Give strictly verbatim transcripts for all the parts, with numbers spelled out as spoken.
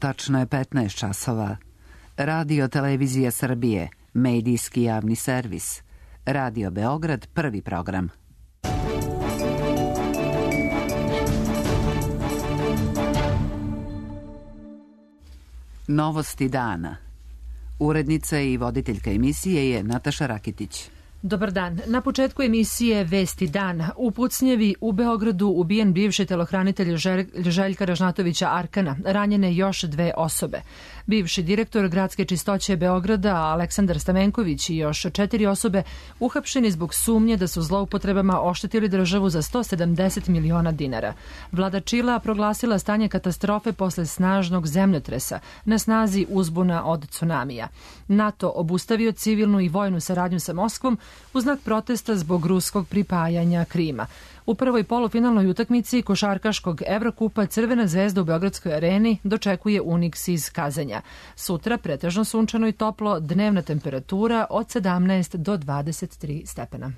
Tačno je petnaest časova. Radio Televizija Srbije, medijski javni servis. Radio Beograd, prvi program. Novosti dana. Urednica i voditeljka emisije je Nataša Rakitić. Dobar dan. Na početku emisije Vesti dan. U pucnjevi u Beogradu ubijen bivši telohranitelj Željka Ražnatovića Arkana. Ranjene još dve osobe. Bivši direktor gradske čistoće Beograda Aleksandar Stamenković i još četiri osobe uhapšeni zbog sumnje da su zloupotrebama oštetili državu za sto sedamdeset miliona dinara. Vlada Čila proglasila stanje katastrofe posle snažnog zemljotresa, na snazi uzbuna od tsunamija. NATO obustavio civilnu i vojnu saradnju sa Moskvom u znak protesta zbog ruskog pripajanja Krima. U prvoj polufinalnoj utakmici košarkaškog Evrokupa Crvena zvezda u Beogradskoj areni dočekuje Uniks iz Kazanja. Sutra pretežno sunčano i toplo, dnevna temperatura od sedamnaest do dvadeset tri stepena.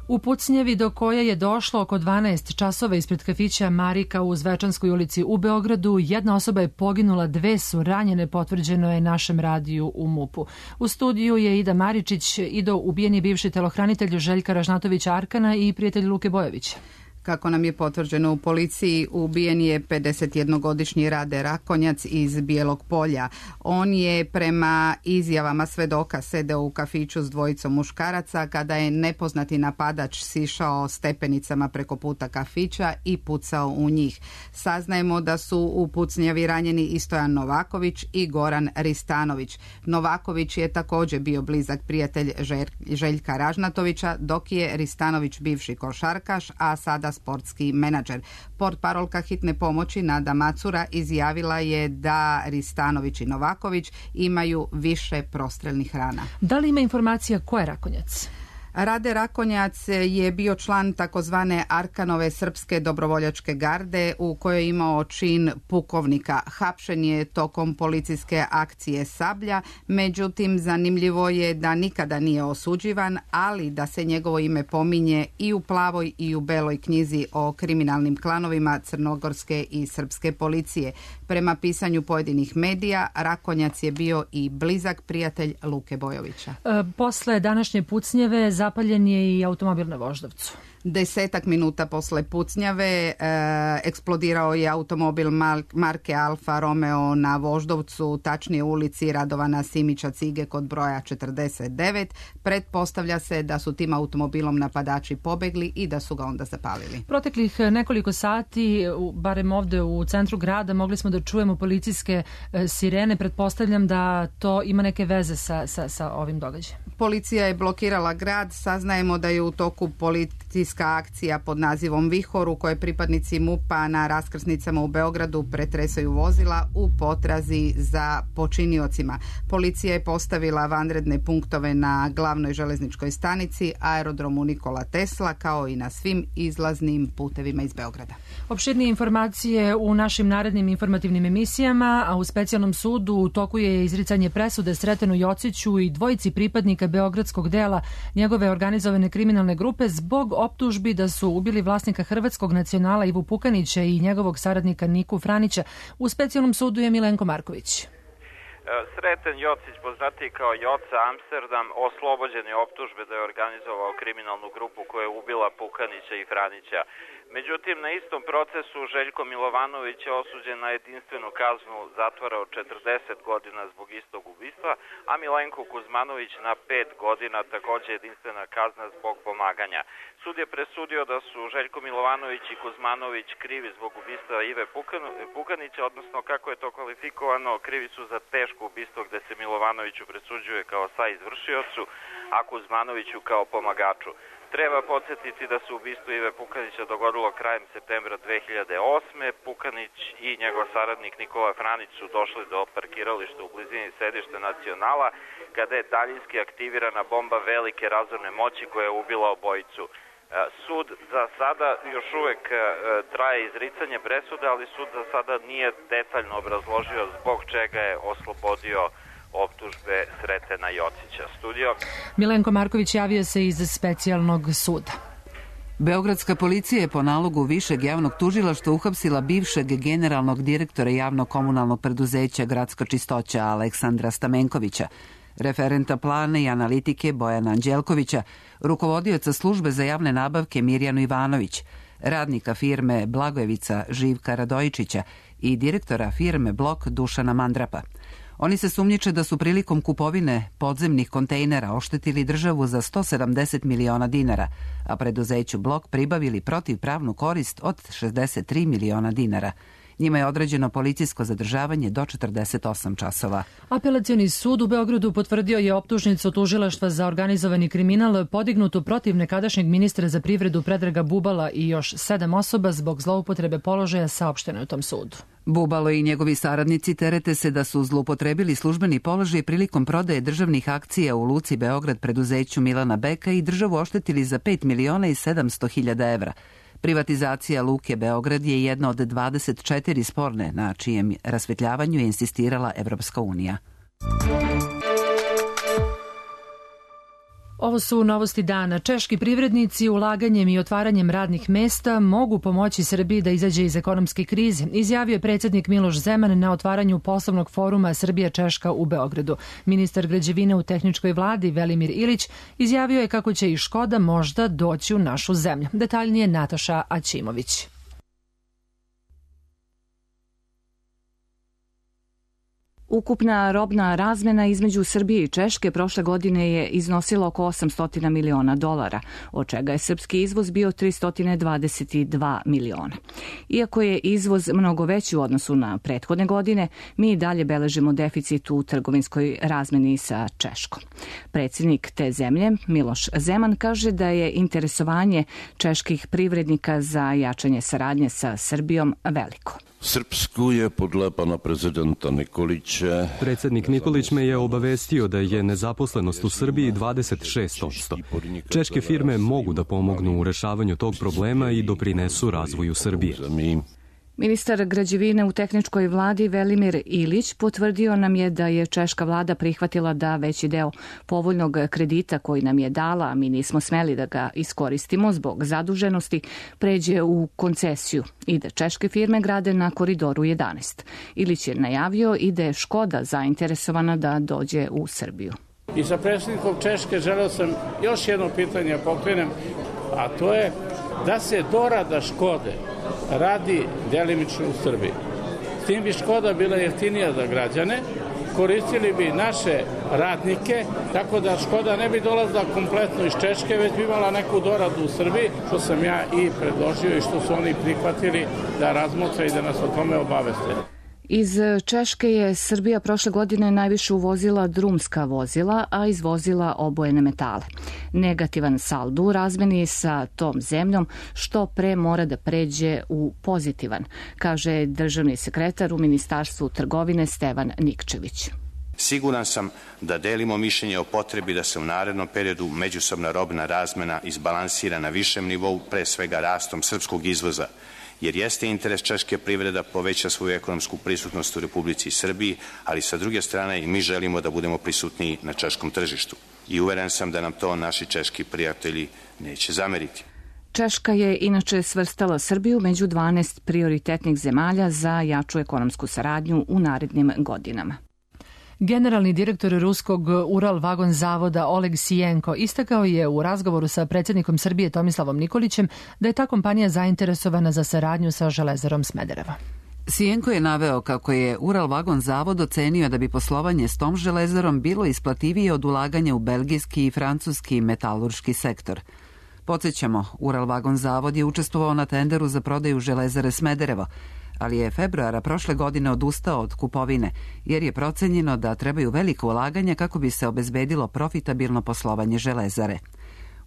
U pucnjevi do koje je došlo oko dvanaest časova ispred kafića Marika u Zvečanskoj ulici u Beogradu, jedna osoba je poginula, dve su ranjene, potvrđeno je našem radiju u MUP-u. U studiju je Ida Maričić. Ido, ubijen je bivši telohranitelj Željka Ražnatovića Arkana i prijatelj Luke Bojovića. Kako nam je potvrđeno u policiji, ubijen je pedesetjednogodišnji Rade Rakonjac iz Bijelog Polja. On je prema izjavama svedoka sedeo u kafiću s dvojicom muškaraca kada je nepoznati napadač sišao stepenicama preko puta kafića i pucao u njih. Saznajemo da su u pucnjavi ranjeni i Stojan Novaković i Goran Ristanović. Novaković je također bio blizak prijatelj Željka Ražnatovića, dok je Ristanović bivši košarkaš, a sada sportski menadžer. Portparolka hitne pomoći Nada Macura izjavila je da Ristanović i Novaković imaju više prostrelnih rana. Da li ima informacija ko je Rakonjac? Rade Rakonjac je bio član takozvane Arkanove srpske dobrovoljačke garde u kojoj je imao čin pukovnika. Hapšen je tokom policijske akcije Sablja, međutim zanimljivo je da nikada nije osuđivan, ali da se njegovo ime pominje i u plavoj i u beloj knjizi o kriminalnim klanovima crnogorske i srpske policije. Prema pisanju pojedinih medija, Rakonjac je bio i blizak prijatelj Luke Bojovića. E, posle današnje pucnjeve zapaljen je i automobil na Voždovcu. Desetak minuta posle pucnjave e, eksplodirao je automobil marke Alfa Romeo na Voždovcu, tačnije ulici Radovana Simića Cige kod broja četrdeset devet. Pretpostavlja se da su tim automobilom napadači pobegli i da su ga onda zapalili. Proteklih nekoliko sati, barem ovde u centru grada, mogli smo da čujemo policijske sirene. Pretpostavljam da to ima neke veze sa, sa, sa ovim događajem. Policija je blokirala grad. Saznajemo da je u toku policijska akcija pod nazivom Vihor u kojoj pripadnici MUP-a na raskrsnicama u Beogradu pretresaju vozila u potrazi za počiniocima. Policija je postavila vanredne punktove na glavnoj železničkoj stanici, aerodromu Nikola Tesla, kao i na svim izlaznim putevima iz Beograda. Opširnije informacije u našim narednim informativnim emisijama, a u specijalnom sudu u toku je izricanje presude Sretenu Jociću i dvojici pripadnika beogradskog dela njegove organizovane kriminalne grupe zbog optužbi da su ubili vlasnika hrvatskog nacionala Ivu Pukanića i njegovog saradnika Niku Franića. U specijalnom sudu je Milenko Marković. Sreten Jocić, poznatiji kao Joca Amsterdam, oslobođen je optužbe da je organizovao kriminalnu grupu koja je ubila Pukanića i Franića. Međutim, na istom procesu Željko Milovanović je osuđen na jedinstvenu kaznu zatvora od četrdeset godina zbog istog ubistva, a Milenko Kuzmanović na pet godina, također jedinstvena kazna zbog pomaganja. Sud je presudio da su Željko Milovanović i Kuzmanović krivi zbog ubistva Ive Pukanića, odnosno kako je to kvalifikovano, krivi su za teško ubistvo gde se Milovanoviću presuđuje kao saizvršiocu, a Kuzmanoviću kao pomagaču. Treba podsjetiti da se ubistvo Ive Pukanića dogodilo krajem septembra dve hiljade osme. Pukanić i njegov saradnik Nikola Franić su došli do parkirališta u blizini sedišta Nacionala kada je daljinski aktivirana bomba velike razorne moći koja je ubila obojicu. Sud za sada još uvek traje izricanje presude, ali sud za sada nije detaljno obrazložio zbog čega je oslobodio optužbe Sretena Jocića. Studio. Milenko Marković javio se iz specijalnog suda. Beogradska policija je po nalogu Višeg javnog tužilaštva uhapsila bivšeg generalnog direktora javnog komunalnog preduzeća Gradska čistoća Aleksandra Stamenkovića, referenta plana i analitike Bojana Anđelkovića, rukovodioca službe za javne nabavke Mirjanu Ivanović, radnika firme Blagojevica Živka Radojičića i direktora firme Blok Dušana Mandrapa. Oni se sumnjiče da su prilikom kupovine podzemnih kontejnera oštetili državu za sto sedamdeset miliona dinara, a preduzeću Blok pribavili protivpravnu korist od šezdeset tri miliona dinara. Njima je određeno policijsko zadržavanje do četrdeset osam časova. Apelacioni sud u Beogradu potvrdio je optužnicu tužilaštva za organizovani kriminal podignutu protiv nekadašnjeg ministra za privredu Predraga Bubala i još sedam osoba zbog zloupotrebe položaja, saopšteno u tom sudu. Bubalo i njegovi saradnici terete se da su zloupotrebili službeni položaj prilikom prodaje državnih akcija u Luci Beograd preduzeću Milana Beka i državu oštetili za pet miliona i sedamsto hiljada evra. Privatizacija Luke Beograd je jedna od dvadeset četiri sporne na čijem rasvetljavanju je insistirala Evropska unija. Ovo su novosti dana. Češki privrednici ulaganjem i otvaranjem radnih mesta mogu pomoći Srbiji da izađe iz ekonomske krize, izjavio je predsjednik Miloš Zeman na otvaranju poslovnog foruma Srbija-Češka u Beogradu. Ministar građevine u tehničkoj vladi Velimir Ilić izjavio je kako će i Škoda možda doći u našu zemlju. Detaljnije Nataša Aćimović. Ukupna robna razmena između Srbije i Češke prošle godine je iznosila oko osamsto miliona dolara, od čega je srpski izvoz bio tristo dvadeset dva miliona. Iako je izvoz mnogo veći u odnosu na prethodne godine, mi i dalje beležimo deficit u trgovinskoj razmeni sa Češkom. Predsjednik te zemlje, Miloš Zeman, kaže da je interesovanje čeških privrednika za jačanje saradnje sa Srbijom veliko. Srpsku je podle pana prezidenta Nikolića... Predsjednik Nikolić me je obavestio da je nezaposlenost u Srbiji dvadeset šest posto. Češke firme mogu da pomognu u rešavanju tog problema i doprinesu razvoju Srbije. Ministar građevine u tehničkoj vladi Velimir Ilić potvrdio nam je da je češka vlada prihvatila da veći deo povoljnog kredita koji nam je dala, a mi nismo smeli da ga iskoristimo zbog zaduženosti, pređe u koncesiju i da češke firme grade na Koridoru jedanaest. Ilić je najavio i da je Škoda zainteresovana da dođe u Srbiju. I sa predsjednikom Češke želeo sam još jedno pitanje pokrenem, a to je da se dorada Škode radi delimično u Srbiji. S tim bi Škoda bila jeftinija za građane, koristili bi naše radnike, tako da Škoda ne bi dolazila kompletno iz Češke, već bi imala neku doradu u Srbiji, što sam ja i predložio i što su oni prihvatili da razmotre i da nas o tome obaveste. Iz Češke je Srbija prošle godine najviše uvozila drumska vozila, a izvozila obojene metale. Negativan saldo u razmeni sa tom zemljom što pre mora da pređe u pozitivan, kaže državni sekretar u Ministarstvu trgovine Stevan Nikčević. Siguran sam da delimo mišljenje o potrebi da se u narednom periodu međusobna robna razmena izbalansira na višem nivou, pre svega rastom srpskog izvoza, jer jeste interes češke privreda poveća svoju ekonomsku prisutnost u Republici Srbiji, ali sa druge strane i mi želimo da budemo prisutniji na češkom tržištu. I uveren sam da nam to naši češki prijatelji neće zameriti. Češka je inače svrstala Srbiju među dvanaest prioritetnih zemalja za jaču ekonomsku saradnju u narednim godinama. Generalni direktor ruskog Ural vagon zavoda Oleg Sijenko istakao je u razgovoru sa predsjednikom Srbije Tomislavom Nikolićem da je ta kompanija zainteresovana za saradnju sa Železarom Smederevo. Sijenko je naveo kako je Ural vagon zavod ocenio da bi poslovanje s tom železarom bilo isplativije od ulaganja u belgijski i francuski metalurški sektor. Podsjećamo, Ural vagon zavod je učestvovao na tenderu za prodaju Železare Smederevo, ali je februara prošle godine odustao od kupovine, jer je procenjeno da trebaju veliko ulaganje kako bi se obezbedilo profitabilno poslovanje železare.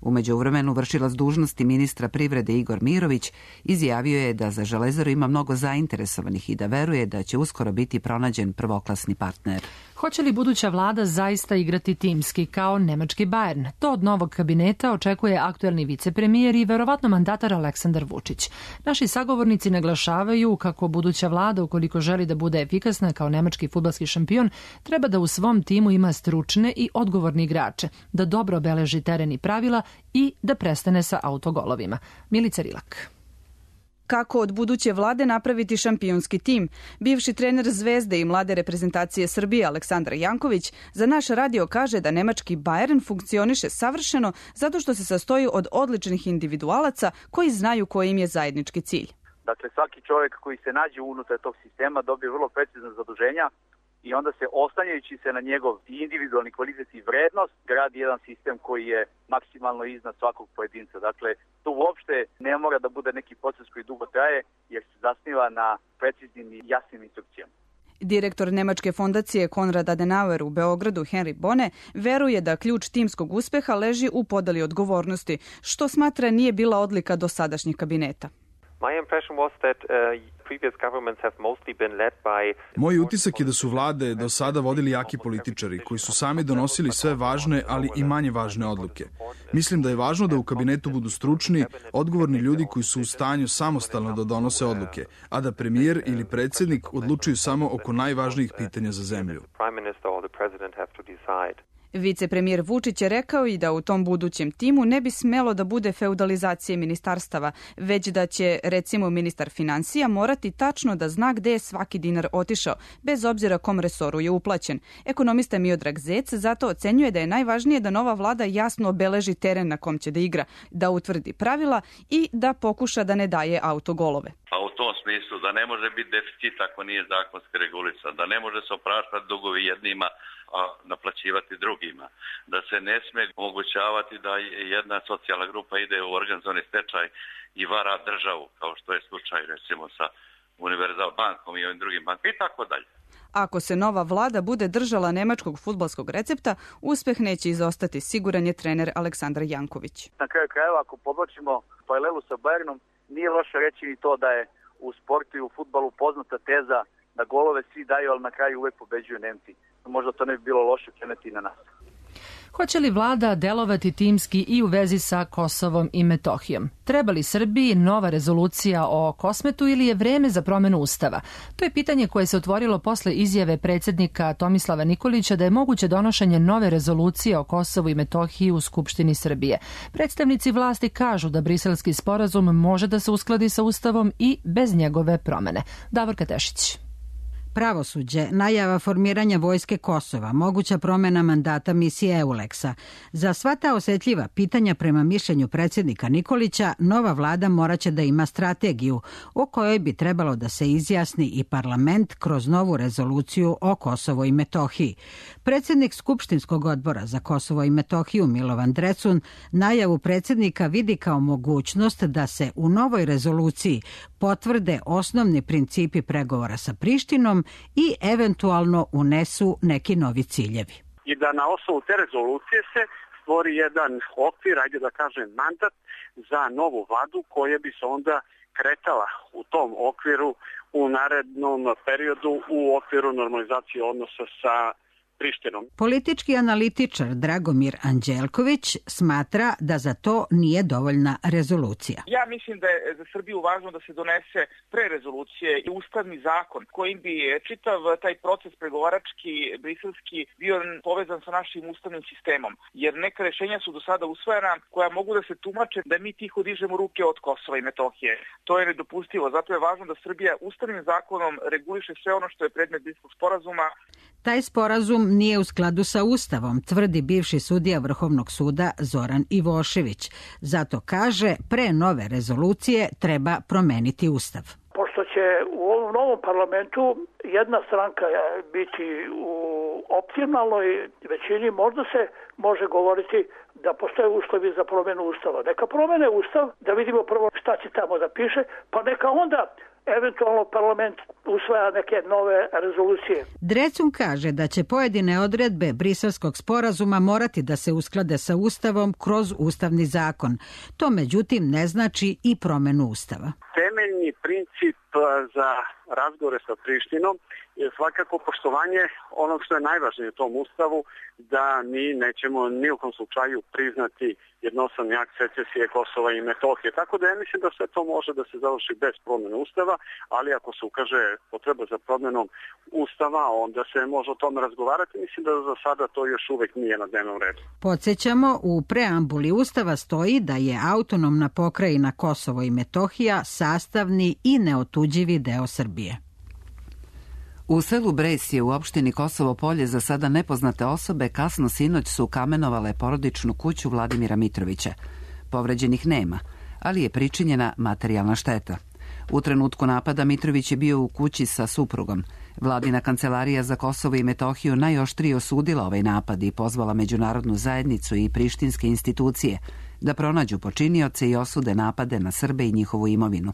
U međuvremenu vršilac dužnosti ministra privrede Igor Mirović izjavio je da za železaru ima mnogo zainteresovanih i da veruje da će uskoro biti pronađen prvoklasni partner. Hoće li buduća vlada zaista igrati timski kao nemački Bayern? To od novog kabineta očekuje aktuelni vicepremijer i verovatno mandatar Aleksandar Vučić. Naši sagovornici naglašavaju kako buduća vlada, ukoliko želi da bude efikasna kao nemački fudbalski šampion, treba da u svom timu ima stručne i odgovorne igrače, da dobro obeleži teren i pravila i da prestane sa autogolovima. Milica Rilak. Kako od buduće vlade napraviti šampionski tim? Bivši trener Zvezde i mlade reprezentacije Srbije Aleksandar Janković za naš radio kaže da nemački Bayern funkcioniše savršeno zato što se sastoji od odličnih individualaca koji znaju koji im je zajednički cilj. Dakle, svaki čovjek koji se nađe unutar tog sistema dobije vrlo precizna zaduženja i onda se oslanjajući se na njegov individualni kvalitet i vrednost gradi jedan sistem koji je maksimalno iznad svakog pojedinca. Dakle, to uopšte ne mora da bude neki proces koji dugo traje jer se zasniva na preciznim i jasnim instrukcijama. Direktor Nemačke fondacije Konrad Adenauer u Beogradu Henry Bone veruje da ključ timskog uspeha leži u podeli odgovornosti, što smatra nije bila odlika dosadašnjih kabineta. Moj utisak je da su vlade do sada vodili jaki političari koji su sami donosili sve važne, ali i manje važne odluke. Mislim da je važno da u kabinetu budu stručni, odgovorni ljudi koji su u stanju samostalno da donose odluke, a da premijer ili predsjednik odlučuju samo oko najvažnijih pitanja za zemlju. Vicepremijer Vučić je rekao i da u tom budućem timu ne bi smelo da bude feudalizacije ministarstava, već da će, recimo, ministar finansija morati tačno da zna gde je svaki dinar otišao, bez obzira kom resoru je uplaćen. Ekonomista Miodrag Zec zato ocenjuje da je najvažnije da nova vlada jasno obeleži teren na kom će da igra, da utvrdi pravila i da pokuša da ne daje autogolove. Pa u tom smislu da ne može biti deficit ako nije zakonski regulisan, da ne može se opraštati dugovi jednima, a naplaćivati drugima, da se ne sme omogućavati da jedna socijalna grupa ide u organizovani stečaj i vara državu, kao što je slučaj recimo sa Univerzal bankom i ovim drugim bankama i tako dalje. Ako se nova vlada bude držala nemačkog fudbalskog recepta, uspeh neće izostati, siguran je trener Aleksandar Janković. Na kraju krajeva, ako podločimo paralelu sa Bayernom, nije loše reći ni to da je u sportu i u fudbalu poznata teza da golove svi daju, ali na kraju uvek pobeđuju Nemci. Možda to ne bi bilo loše preneti na nas. Hoće li vlada delovati timski i u vezi sa Kosovom i Metohijom? Treba li Srbiji nova rezolucija o Kosmetu ili je vreme za promenu Ustava? To je pitanje koje se otvorilo posle izjave predsjednika Tomislava Nikolića da je moguće donošenje nove rezolucije o Kosovu i Metohiji u Skupštini Srbije. Predstavnici vlasti kažu da briselski sporazum može da se uskladi sa Ustavom i bez njegove promene. Davorka Tešić. Pravosuđe, najava formiranja vojske Kosova, moguća promena mandata misije EULEX-a. Za sva ta osjetljiva pitanja prema mišljenju predsjednika Nikolića, nova vlada moraće da ima strategiju o kojoj bi trebalo da se izjasni i parlament kroz novu rezoluciju o Kosovo i Metohiji. Predsjednik Skupštinskog odbora za Kosovo i Metohiju Milovan Drecun najavu predsjednika vidi kao mogućnost da se u novoj rezoluciji potvrde osnovni principi pregovora sa Prištinom i eventualno unesu neki novi ciljevi. I da na osnovu te rezolucije se stvori jedan okvir, ajde da kažem mandat, za novu vladu koja bi se onda kretala u tom okviru u narednom periodu u okviru normalizacije odnosa sa Prištinom. Politički analitičar Dragomir Anđelković smatra da za to nije dovoljna rezolucija. Ja mislim da je za Srbiju važno da se donese pre rezolucije i ustavni zakon kojim bi čitav taj proces pregovarački, briselski bio povezan sa našim ustavnim sistemom. Jer neka rješenja su do sada usvojena koja mogu da se tumače da mi tiho dižemo ruke od Kosova i Metohije. To je nedopustivo. Zato je važno da Srbija ustavnim zakonom reguliše sve ono što je predmet Briskelskog sporazuma. Taj sporazum nije u skladu sa Ustavom, tvrdi bivši sudija Vrhovnog suda Zoran Ivošević. Zato kaže, pre nove rezolucije treba promeniti Ustav. Pošto će u ovom novom parlamentu jedna stranka biti u optimalnoj većini, možda se može govoriti da postoje uslovi za promjenu Ustava. Neka promene Ustav, da vidimo prvo šta će tamo da piše, pa neka onda eventualno parlament usvaja neke nove rezolucije. Drecun kaže da će pojedine odredbe Briselskog sporazuma morati da se usklade sa Ustavom kroz ustavni zakon. To međutim ne znači i promenu Ustava. Temeljni princip za razgovore sa Prištinom je svakako poštovanje onog što je najvažnije u tom ustavu, da mi nećemo ni u kom slučaju priznati jednostavni akt secesije Kosova i Metohije. Tako da ja mislim da sve to može da se završi bez promjene ustava, ali ako se ukaže potreba za promjenom ustava, onda se može o tome razgovarati. Mislim da za sada to još uvek nije na dnevnom redu. Podsjećamo, u preambuli ustava stoji da je autonomna pokrajina Kosovo i Metohija sastavni i neotuđivi deo Srbije. U selu Bresje u opštini Kosovo Polje za sada nepoznate osobe kasno sinoć su kamenovale porodičnu kuću Vladimira Mitrovića. Povređenih nema, ali je pričinjena materijalna šteta. U trenutku napada Mitrović je bio u kući sa suprugom. Vladina kancelarija za Kosovo i Metohiju najoštrije osudila ovaj napad i pozvala međunarodnu zajednicu i prištinske institucije da pronađu počinioce i osude napade na Srbe i njihovu imovinu.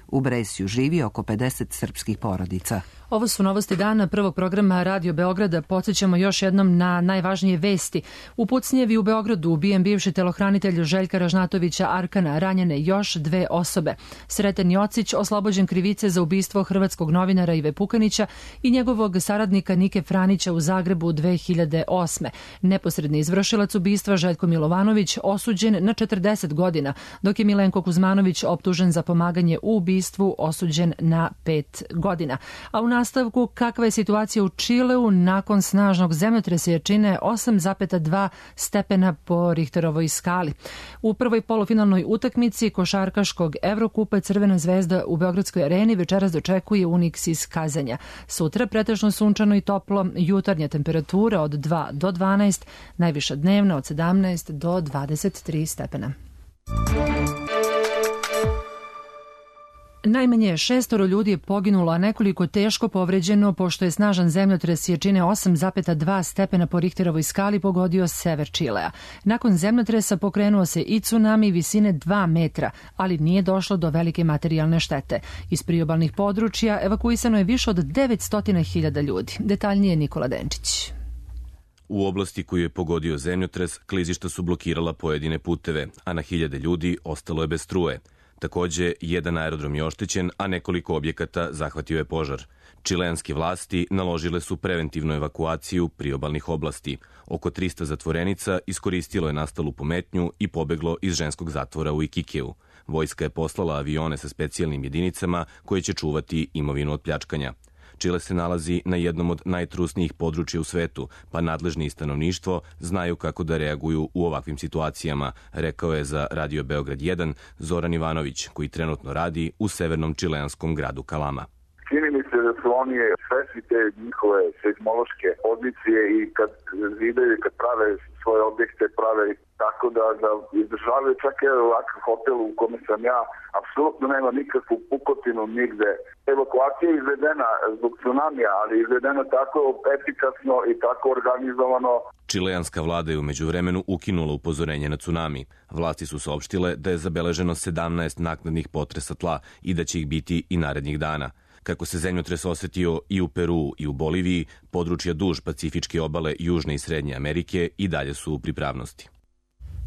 U Bresju živi oko pedeset srpskih porodica. Ovo su novosti dana prvog programa Radio Beograda. Podsjećamo još jednom na najvažnije vesti. U pucnjevi u Beogradu ubijen bivši telohranitelj Željka Ražnatovića Arkana, ranjene još dve osobe. Sreten Jocić oslobođen krivice za ubistvo hrvatskog novinara Ive Pukanića i njegovog saradnika Nike Franića u Zagrebu dve hiljade osme. Neposredni izvršilac ubistva Željko Milovanović osuđen na četrdeset godina, dok je Milenko Kuzmanović optužen za pomaganje u ubistvu osuđen na pet godina. A u nastavku, kakva je situacija u Čileu nakon snažnog zemljotresa jačine osam zarez dva stepena po Richterovoj skali. U prvoj polufinalnoj utakmici košarkaškog Evrokupa Crvena zvezda u Beogradskoj areni večeras dočekuje Unix iz Kazanja. Sutra pretežno sunčano i toplo, jutarnja temperatura od dva do dvanaest, najviša dnevna od sedamnaest do dvadeset tri stepena. Najmanje šestoro ljudi je poginulo, a nekoliko teško povređeno pošto je snažan zemljotres jačine osam zarez dva stepena po Richterovoj skali pogodio sever Čilea. Nakon zemljotresa pokrenuo se i tsunami visine dva metra, ali nije došlo do velike materijalne štete. Iz priobalnih područja evakuisano je više od devetsto hiljada ljudi. Detaljnije Nikola Denčić. U oblasti koju je pogodio zemljotres, klizišta su blokirala pojedine puteve, a na hiljade ljudi ostalo je bez struje. Takođe, jedan aerodrom je oštećen, a nekoliko objekata zahvatio je požar. Čileanske vlasti naložile su preventivnu evakuaciju priobalnih oblasti. Oko trista zatvorenica iskoristilo je nastalu pometnju i pobeglo iz ženskog zatvora u Ikikeu. Vojska je poslala avione sa specijalnim jedinicama koje će čuvati imovinu od pljačkanja. Čile se nalazi na jednom od najtrusnijih područja u svetu, pa nadležni i stanovništvo znaju kako da reaguju u ovakvim situacijama, rekao je za Radio Beograd jedan Zoran Ivanović, koji trenutno radi u severnom čileanskom gradu Kalama. Čini mi se da su oni svesni te njihove seizmološke pozicije i kad zidaju, kad prave svoje objekte, prave tako da, da izdržavaju čak i ovakav hotel u kome sam ja, apsolutno nema nikakvu pukotinu nigde. Evakuacija je izvedena zbog tsunamija, ali izvedena tako efikasno i tako organizovano. Čileanska vlada je u međuvremenu ukinula upozorenje na tsunami. Vlasti su saopštile da je zabeleženo sedamnaest naknadnih potresa tla i da će ih biti i narednih dana. Kako se zemljotres osetio i u Peru i u Boliviji, područja duž Pacifičke obale Južne i Srednje Amerike i dalje su u pripravnosti.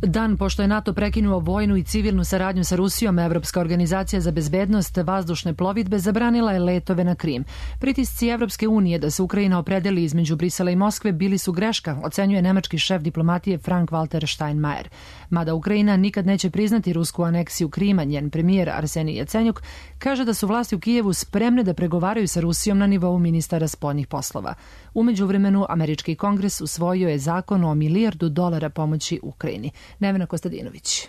Dan pošto je NATO prekinuo vojnu i civilnu saradnju sa Rusijom, Evropska organizacija za bezbednost vazdušne plovidbe zabranila je letove na Krim. Pritisci Evropske unije da se Ukrajina opredeli između Brisela i Moskve bili su greška, ocenjuje nemački šef diplomatije Frank-Walter Steinmeier. Mada Ukrajina nikad neće priznati rusku aneksiju Krima, njen premijer Arsenij Jacenjuk kaže da su vlasti u Kijevu spremne da pregovaraju sa Rusijom na nivou ministara spoljnih poslova. U međuvremenu, američki kongres usvojio je zakon o milijardu dolara pomoći Ukrajini. Nevena Kostadinović.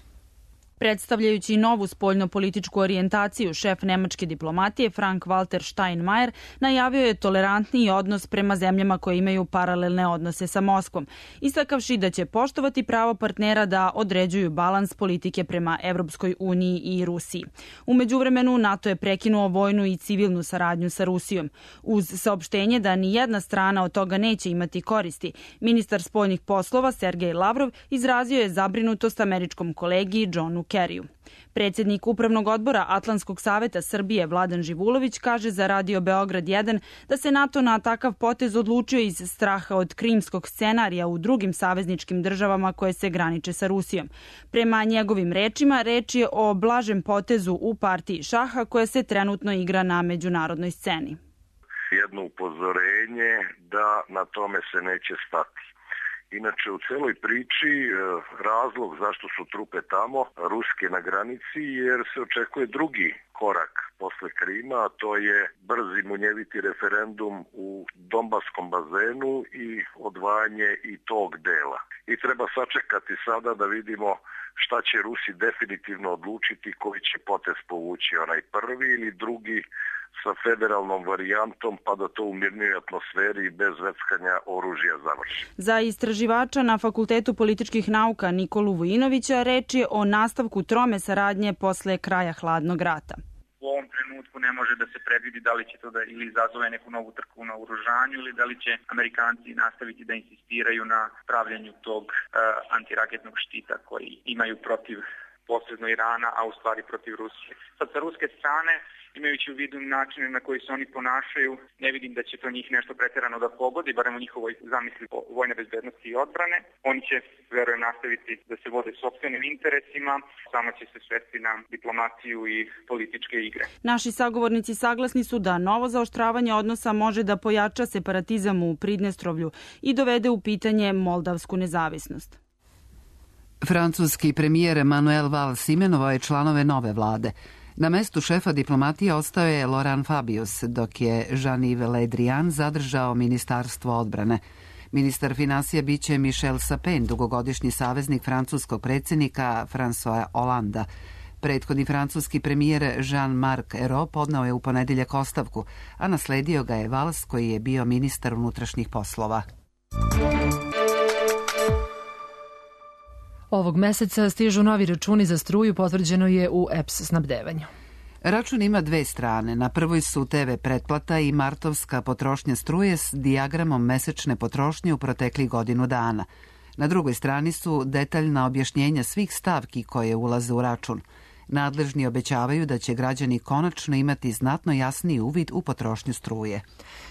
Predstavljajući novu spoljno-političku orijentaciju, šef nemačke diplomatije Frank-Walter Steinmeier najavio je tolerantniji odnos prema zemljama koje imaju paralelne odnose sa Moskvom, istakavši da će poštovati pravo partnera da određuju balans politike prema Evropskoj uniji i Rusiji. U međuvremenu, NATO je prekinuo vojnu i civilnu saradnju sa Rusijom. Uz saopštenje da ni jedna strana od toga neće imati koristi, ministar spoljnih poslova Sergej Lavrov izrazio je zabrinutost američkom kolegi Johnu Kerriju. Predsjednik Upravnog odbora Atlantskog saveta Srbije Vladan Živulović kaže za Radio Beograd jedan da se NATO na takav potez odlučio iz straha od krimskog scenarija u drugim savezničkim državama koje se graniče sa Rusijom. Prema njegovim rečima, reč je o blažem potezu u partiji šaha koja se trenutno igra na međunarodnoj sceni. Jedno upozorenje da na tome se neće stati. Inače, u celoj priči razlog zašto su trupe tamo, ruske na granici, jer se očekuje drugi korak posle Krima, a to je brzi munjeviti referendum u Donbaskom bazenu i odvajanje i tog dela. I treba sačekati sada da vidimo šta će Rusi definitivno odlučiti, koji će potez povući, onaj prvi ili drugi sa federalnom varijantom, pa da to u mirnoj atmosferi i bez veckanja oružja završi. Za istraživača na Fakultetu političkih nauka Nikolu Vujinovića reč je o nastavku trome saradnje posle kraja hladnog rata. U ovom trenutku ne može da se predvidi da li će to da ili izazove neku novu trku na oružanju ili da li će Amerikanci nastaviti da insistiraju na pravljenju tog uh, antiraketnog štita koji imaju protiv posredno Irana, a u stvari protiv Rusije. Sad sa ruske strane, imajući u vidu načine na koji se oni ponašaju, ne vidim da će to njih nešto preterano da pogodi, barem u njihovoj zamisli vojne bezbednosti i odbrane. Oni će, verujem, nastaviti da se vode sopstvenim interesima, samo će se svesti na diplomaciju i političke igre. Naši sagovornici saglasni su da novo zaoštravanje odnosa može da pojača separatizam u Pridnestrovlju i dovede u pitanje moldavsku nezavisnost. Francuski premijer Manuel Valls imenovao je članove nove vlade. Na mestu šefa diplomatije ostao je Laurent Fabius, dok je Jean-Yves Le Drian zadržao ministarstvo odbrane. Ministar finansija biće Michel Sapin, dugogodišnji saveznik francuskog predsjednika François Hollanda. Prethodni francuski premijer Jean-Marc Ayrault podnao je u ponedeljak ostavku, a nasledio ga je Valls koji je bio ministar unutrašnjih poslova. Ovog meseca stižu novi računi za struju, potvrđeno je u E P S snabdevanju. Račun ima dve strane. Na prvoj su te ve pretplata i martovska potrošnja struje s dijagramom mesečne potrošnje u proteklih godinu dana. Na drugoj strani su detaljna objašnjenja svih stavki koje ulaze u račun. Nadležni obećavaju da će građani konačno imati znatno jasniji uvid u potrošnju struje.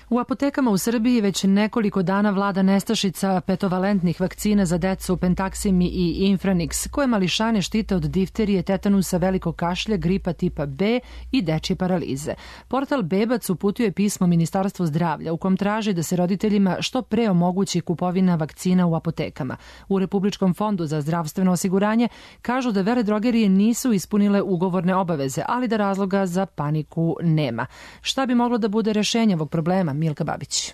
U apotekama u Srbiji već nekoliko dana vlada nestašica petovalentnih vakcina za decu Pentaxim i Infranix, koje mališane štite od difterije, tetanusa, velikog kašlja, gripa tipa B i dečje paralize. Portal Bebac uputio je pismo Ministarstvu zdravlja u kom traži da se roditeljima što pre omogući kupovina vakcina u apotekama. U Republičkom fondu za zdravstveno osiguranje kažu da veledrogerije nisu ispunile ugovorne obaveze, ali da razloga za paniku nema. Šta bi moglo da bude rešenje ovog problema? Milka Babić.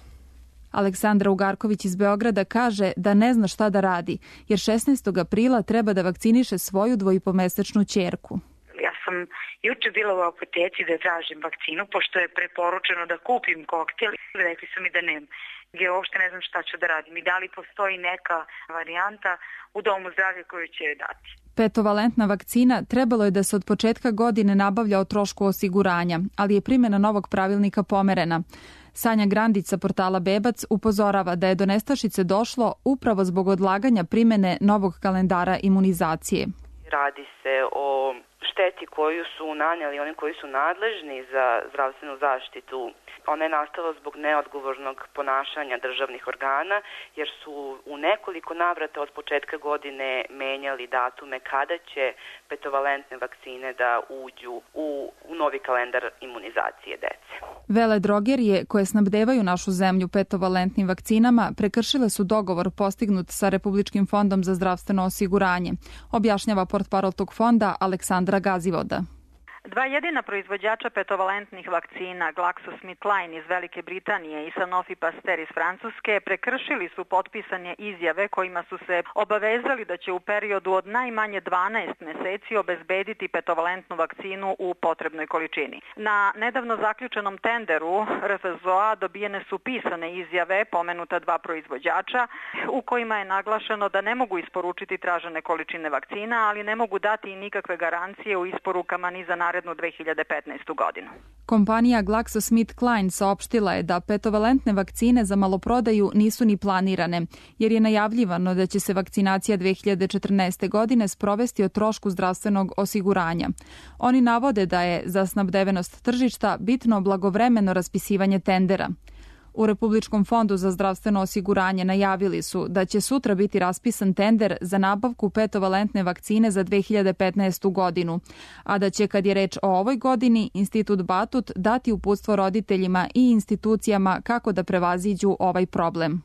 Aleksandra Ugarković iz Beograda kaže da ne zna šta da radi, jer šesnaestog aprila treba da vakciniše svoju dvojipomesečnu ćerku. Ja sam juče bila u apoteci da tražim vakcinu, pošto je preporučeno da kupim koktel. Rekli su mi da nema. Ja uopšte ne znam šta ću da radim i da li postoji neka varijanta u domu zdravlja koju će dati. Petovalentna vakcina trebalo je da se od početka godine nabavlja o trošku osiguranja, ali je primjena novog pravilnika pomerena. Sanja Grandić sa portala Bebac upozorava da je do nestašice došlo upravo zbog odlaganja primjene novog kalendara imunizacije. Radi se o šteti koju su nanijeli oni koji su nadležni za zdravstvenu zaštitu. Ona je nastala zbog neodgovornog ponašanja državnih organa, jer su u nekoliko navrata od početka godine menjali datume kada će petovalentne vakcine da uđu u, u novi kalendar imunizacije dece. Veledrogerije koje snabdevaju našu zemlju petovalentnim vakcinama prekršile su dogovor postignut sa Republičkim fondom za zdravstveno osiguranje, objašnjava portparol tog fonda Aleksandra Gazivoda. Dva jedina proizvođača petovalentnih vakcina, GlaxoSmithKline iz Velike Britanije i Sanofi Pasteur iz Francuske, prekršili su potpisane izjave kojima su se obavezali da će u periodu od najmanje dvanaest meseci obezbediti petovalentnu vakcinu u potrebnoj količini. Na nedavno zaključenom tenderu R F Z O A dobijene su pisane izjave pomenuta dva proizvođača u kojima je naglašeno da ne mogu isporučiti tražene količine vakcina, ali ne mogu dati i nikakve garancije u isporukama ni za narednih narednu dve hiljade petnaestu godinu. Kompanija GlaxoSmithKline saopštila je da petovalentne vakcine za maloprodaju nisu ni planirane, jer je najavljivano da će se vakcinacija dve hiljade četrnaeste. godine sprovesti o trošku zdravstvenog osiguranja. Oni navode da je za snabdevenost tržišta bitno blagovremeno raspisivanje tendera. U Republičkom fondu za zdravstveno osiguranje najavili su da će sutra biti raspisan tender za nabavku petovalentne vakcine za dve hiljade petnaestu. godinu, a da će, kad je reč o ovoj godini, Institut Batut dati uputstvo roditeljima i institucijama kako da prevaziđu ovaj problem.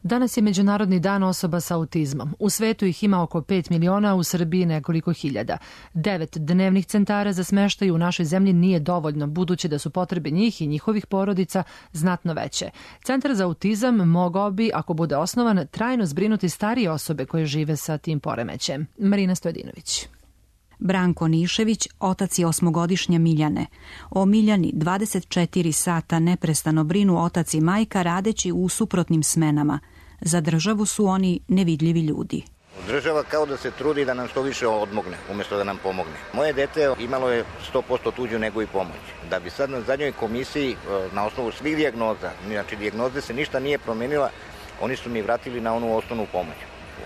Danas je Međunarodni dan osoba sa autizmom. U svetu ih ima oko pet miliona, u Srbiji nekoliko hiljada. Devet dnevnih centara za smeštaj u našoj zemlji nije dovoljno, budući da su potrebe njih i njihovih porodica znatno veće. Centar za autizam mogao bi, ako bude osnovan, trajno zbrinuti starije osobe koje žive sa tim poremećajem. Marina Stojadinović. Branko Nišević, otac je osmogodišnje Miljane. O Miljani dvadeset četiri sata neprestano brinu otac i majka radeći u suprotnim smenama. Za državu su oni nevidljivi ljudi. Država kao da se trudi da nam što više odmogne, umjesto da nam pomogne. Moje dete imalo je sto posto tuđu nego i pomoć. Da bi sad na zadnjoj komisiji, na osnovu svih dijagnoza, znači dijagnoze se ništa nije promenila, oni su mi vratili na onu osnovnu pomoć.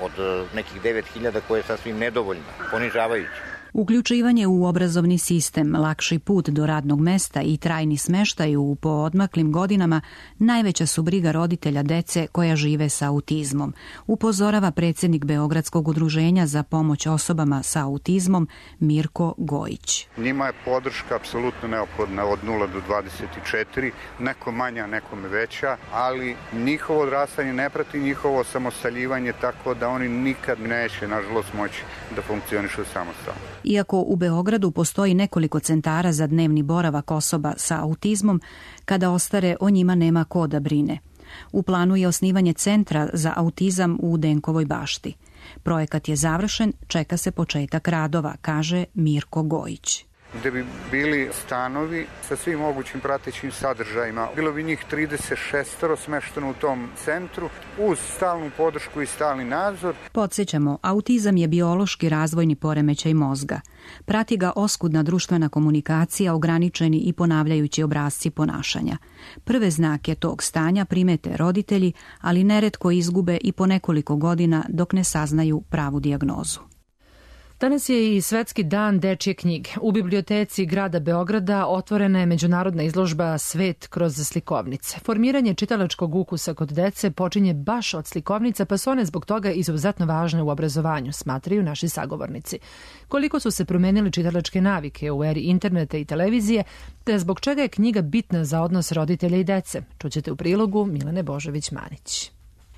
Od nekih devet hiljada koje je sasvim nedovoljno, ponižavajuće. Uključivanje u obrazovni sistem, lakši put do radnog mesta i trajni smeštaj u poodmaklim godinama najveća su briga roditelja dece koja žive sa autizmom, upozorava predsjednik Beogradskog udruženja za pomoć osobama sa autizmom Mirko Gojić. Njima je podrška apsolutno neophodna od nula do dvadeset četiri, neko manja, nekome veća, ali njihovo odrastanje ne prati njihovo samostaljivanje, tako da oni nikad neće, nažalost, moći da funkcionišu samostalno. Iako u Beogradu postoji nekoliko centara za dnevni boravak osoba sa autizmom, kada ostare o njima nema ko da brine. U planu je osnivanje centra za autizam u Denkovoj bašti. Projekat je završen, čeka se početak radova, kaže Mirko Gojić. Gde bi bili stanovi sa svim mogućim pratećim sadržajima. Bilo bi njih trideset šest smešteno u tom centru uz stalnu podršku i stalni nadzor. Podsjećamo, autizam je biološki razvojni poremećaj mozga. Prati ga oskudna društvena komunikacija, ograničeni i ponavljajući obrasci ponašanja. Prve znake tog stanja primete roditelji, ali neretko izgube i po nekoliko godina dok ne saznaju pravu dijagnozu. Danas je i Svetski dan dečje knjige. U biblioteci grada Beograda otvorena je međunarodna izložba Svet kroz slikovnice. Formiranje čitalačkog ukusa kod dece počinje baš od slikovnica, pa su one zbog toga izuzetno važne u obrazovanju, smatraju naši sagovornici. Koliko su se promenili čitalačke navike u eri interneta i televizije, te zbog čega je knjiga bitna za odnos roditelja i dece, čućete u prilogu Milane Božović-Manić.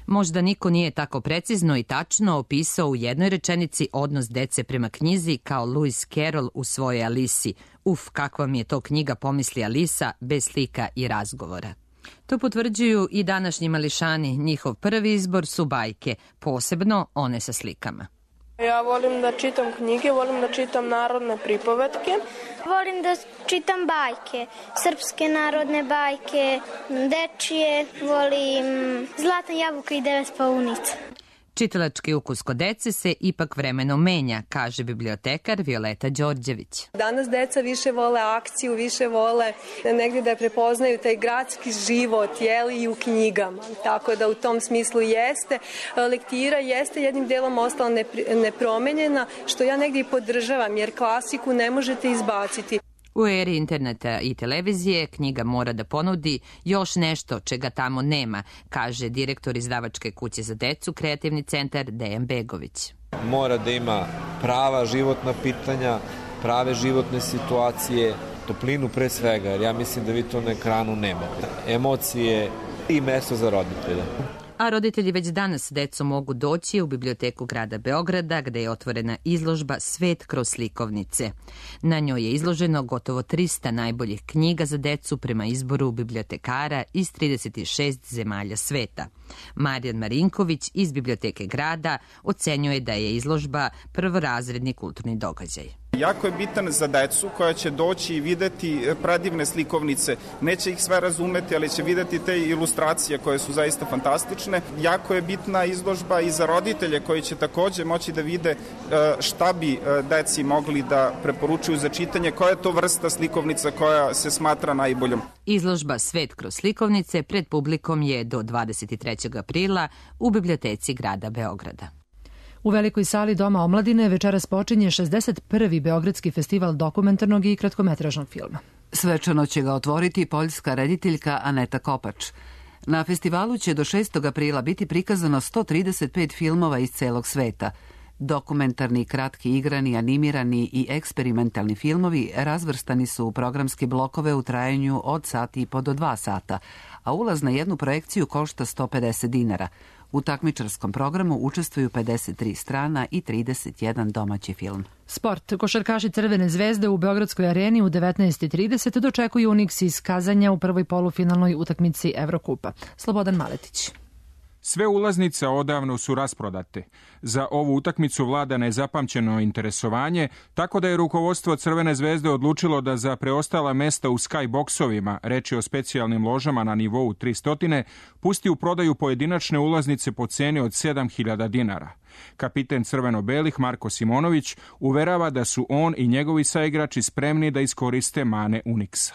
Možda niko nije tako precizno i tačno opisao u jednoj rečenici odnos dece prema knjizi kao Lewis Carroll u svojoj Alisi. Uf, kakva mi je to knjiga, pomisli Alisa, bez slika i razgovora. To potvrđuju i današnji mališani. Njihov prvi izbor su bajke, posebno one sa slikama. Ja volim da čitam knjige, volim da čitam narodne pripovetke. Volim da čitam bajke, srpske narodne bajke, dečije, volim Zlatna jabuka i devet paunica. Čitalački ukus kod dece se ipak vremenom menja, kaže bibliotekar Violeta Đorđević. Danas deca više vole akciju, više vole negdje da prepoznaju taj gradski život, jeli, i u knjigama. Tako da u tom smislu jeste. Lektira jeste jednim delom ostala nepromenjena, što ja negdje i podržavam, jer klasiku ne možete izbaciti. U eri interneta i televizije knjiga mora da ponudi još nešto čega tamo nema, kaže direktor izdavačke kuće za decu, kreativni centar Dejan Begović. Mora da ima prava životna pitanja, prave životne situacije, toplinu pre svega, jer ja mislim da vi to na ekranu nemate. Emocije i mesto za roditelja. A roditelji već danas s decom mogu doći u biblioteku grada Beograda, gde je otvorena izložba Svet kroz slikovnice. Na njoj je izloženo gotovo trista najboljih knjiga za decu prema izboru bibliotekara iz trideset šest zemalja sveta. Marijan Marinković iz biblioteke grada ocenjuje da je izložba prvorazredni kulturni događaj. Jako je bitan za decu koja će doći i videti predivne slikovnice. Neće ih sve razumeti, ali će videti te ilustracije koje su zaista fantastične. Jako je bitna izložba i za roditelje koji će takođe moći da vide šta bi deci mogli da preporučuju za čitanje, koja je to vrsta slikovnica koja se smatra najboljom. Izložba Svet kroz slikovnice pred publikom je do dvadeset trećeg aprila u biblioteci grada Beograda. U velikoj sali Doma omladine večeras počinje šezdeset prvi Beogradski festival dokumentarnog i kratkometražnog filma. Svečano će ga otvoriti poljska rediteljka Aneta Kopač. Na festivalu će do šestog aprila biti prikazano sto trideset pet filmova iz celog sveta. Dokumentarni, kratki, igrani, animirani i eksperimentalni filmovi razvrstani su u programske blokove u trajanju od sat i po do dva sata, a ulaz na jednu projekciju košta sto pedeset dinara. U takmičarskom programu učestvuju pedeset tri strana i trideset jedan domaći film. Sport. Košarkaši Crvene zvezde u Beogradskoj areni u devetnaest i trideset dočekuju Unix iz Kazanja u prvoj polufinalnoj utakmici Evrokupa. Slobodan Maletić. Sve ulaznice odavno su rasprodate. Za ovu utakmicu vlada nezapamćeno interesovanje, tako da je rukovodstvo Crvene zvezde odlučilo da za preostala mesta u skyboxovima, reč je o specijalnim ložama na nivou tristo, pusti u prodaju pojedinačne ulaznice po ceni od sedam hiljada dinara. Kapiten crveno-belih Marko Simonović uverava da su on i njegovi saigrači spremni da iskoriste mane Unixa.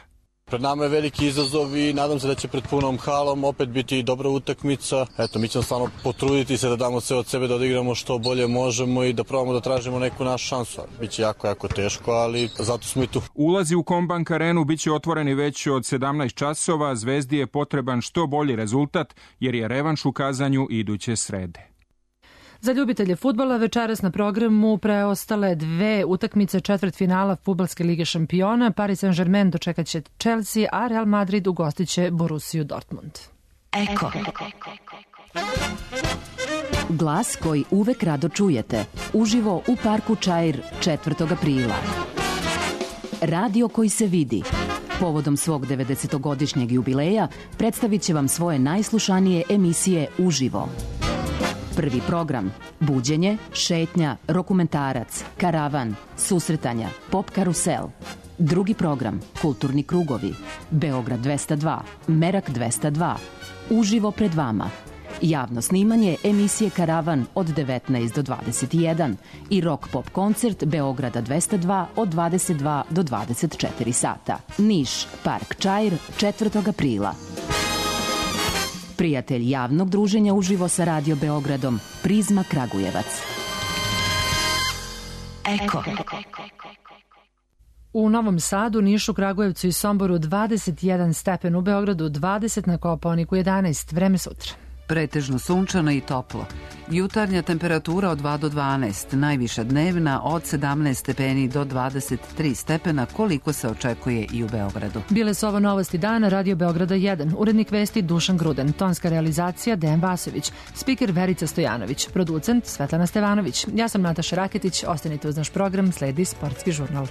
Pred nama je veliki izazov i nadam se da će pred punom halom opet biti dobra utakmica. Eto, mi ćemo stvarno potruditi se da damo sve od sebe, da odigramo što bolje možemo i da probamo da tražimo neku našu šansu. Biće jako, jako teško, ali zato smo i tu. Ulazi u Kombank arenu biće otvoreni već od sedamnaest časova. Zvezdi je potreban što bolji rezultat, jer je revanš u Kazanju iduće srede. Za ljubitelje fudbala večeras na programu preostale dve utakmice četvrtfinala Fudbalske lige šampiona. Paris Saint-Germain dočekat će Chelsea, a Real Madrid ugostit će Borussiju Dortmund. Eko. Glas koji uvek rado čujete. Uživo u parku Čair četvrtog aprila. Radio koji se vidi. Povodom svog devedesetogodišnjeg jubileja predstavit će vam svoje najslušanije emisije uživo. Prvi program – buđenje, šetnja, dokumentarac, karavan, susretanja, pop karusel. Drugi program – kulturni krugovi, Beograd dvesta dva, Merak dvesta dva, uživo pred vama. Javno snimanje emisije Karavan od devetnaest do dvadeset jedan i rock pop koncert Beograda dvesta dva od dvadeset dva do dvadeset četiri sata. Niš, Park Čair, četvrtog aprila. Prijatelj javnog druženja uživo sa Radio Beogradom, Prizma Kragujevac. Eko. U Novom Sadu, Nišu, Kragujevcu i Somboru dvadeset jedan stepen, u Beogradu dvadeset, na Kopaoniku jedanaest. Vreme sutra. Pretežno sunčano i toplo. Jutarnja temperatura od dva do dvanaest, najviša dnevna od sedamnaest stepeni do dvadeset tri stepena, koliko se očekuje i u Beogradu. Bile su ovo novosti dana Radio Beograda jedan. Urednik vesti Dušan Gruden, tonska realizacija Dejan Vasović, spiker Verica Stojanović, producent Svetlana Stevanović. Ja sam Nataša Raketić, ostanite uz naš program, sledi Sportski žurnal.